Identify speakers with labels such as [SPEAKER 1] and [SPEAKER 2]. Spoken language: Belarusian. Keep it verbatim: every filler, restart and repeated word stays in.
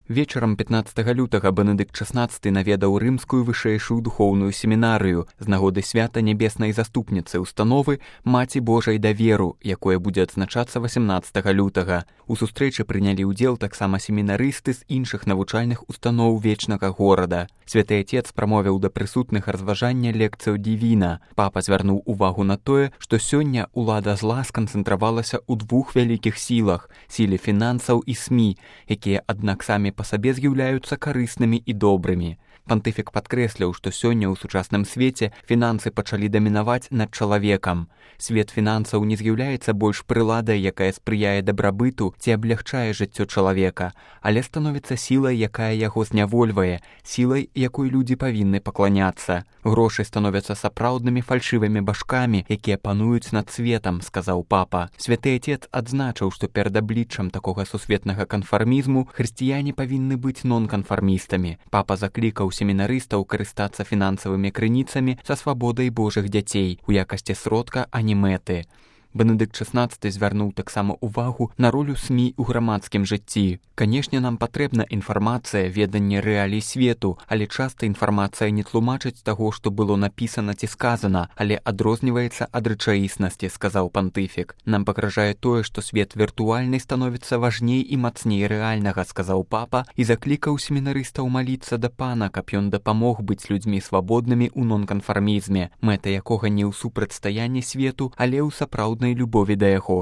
[SPEAKER 1] Вечарам пятнаццатага лютага Бенедыкт шаснаццаты наведаў рымскую вышэйшую духоўную семінарыю з нагоды свята нябеснай заступніцы установы Маці Божай даверу, якое будзе адзначацца васямнаццатага лютага. У сустрэчы прынялі ўдзел таксама семінарысты з іншых навучальных устаноў вечнага горада. Святы Отец прамовіў да прысутных разважання лекцыю Дівіна. Папа звярнуў увагу на тое, што сёння ўлада зла сканцэнтравалася ў двух вялікіх сілах – сіле фінансаў і СМІ, якія, аднак, самі па сабе з'яўляюцца карыснымі і добрымі. Пантыфік падкрэсліў, што сёння ў сучасным свеце фінансы пачалі дамінаваць над чалавекам. Свет фінансаў не з'яўляецца больш прыладай, якая спрыяе дабрабыту ці аблягчае жыццё чалавека, але становіцца сілай, якая яго знявольвае, сілай, якой людзі павінны пакланяцца. Грошы становяцца сапраўднымі фальшывымі башкамі, якія пануюць над светам, сказаў папа. Святы Отец адзначыў, што перад абліччам такога сусветнага канфармізму хрысціяне павінны быць нон-канфармістамі. Папа заклікаў семінарыстаў карыстацца фінансавымі крыніцамі са свабодай Божых дзяцей у якасці сродка, а не мэты. Бенедыкт шаснаццаты звярнуў таксама ўвагу на ролю СМІ ў грамадскім жыцці. Канешне, нам патрэбна інфармацыя, веданне рэалій свету, але часта інфармацыя не тлумачыць таго, што было напісана ці сказана, але адрозніваецца ад рэчаіснасці, сказаў пантыфік. Нам пагражае тое, што свет віртуальны становіцца важней і мацней рэальнага, сказаў папа і заклікаў семінарыстаў маліцца да пана, каб ён дапамог быць людзьмі свабоднымі ў нон-канфармізме, мэта якога не ў супрацьстаянні свету, але ў сапраўднай любові да яго.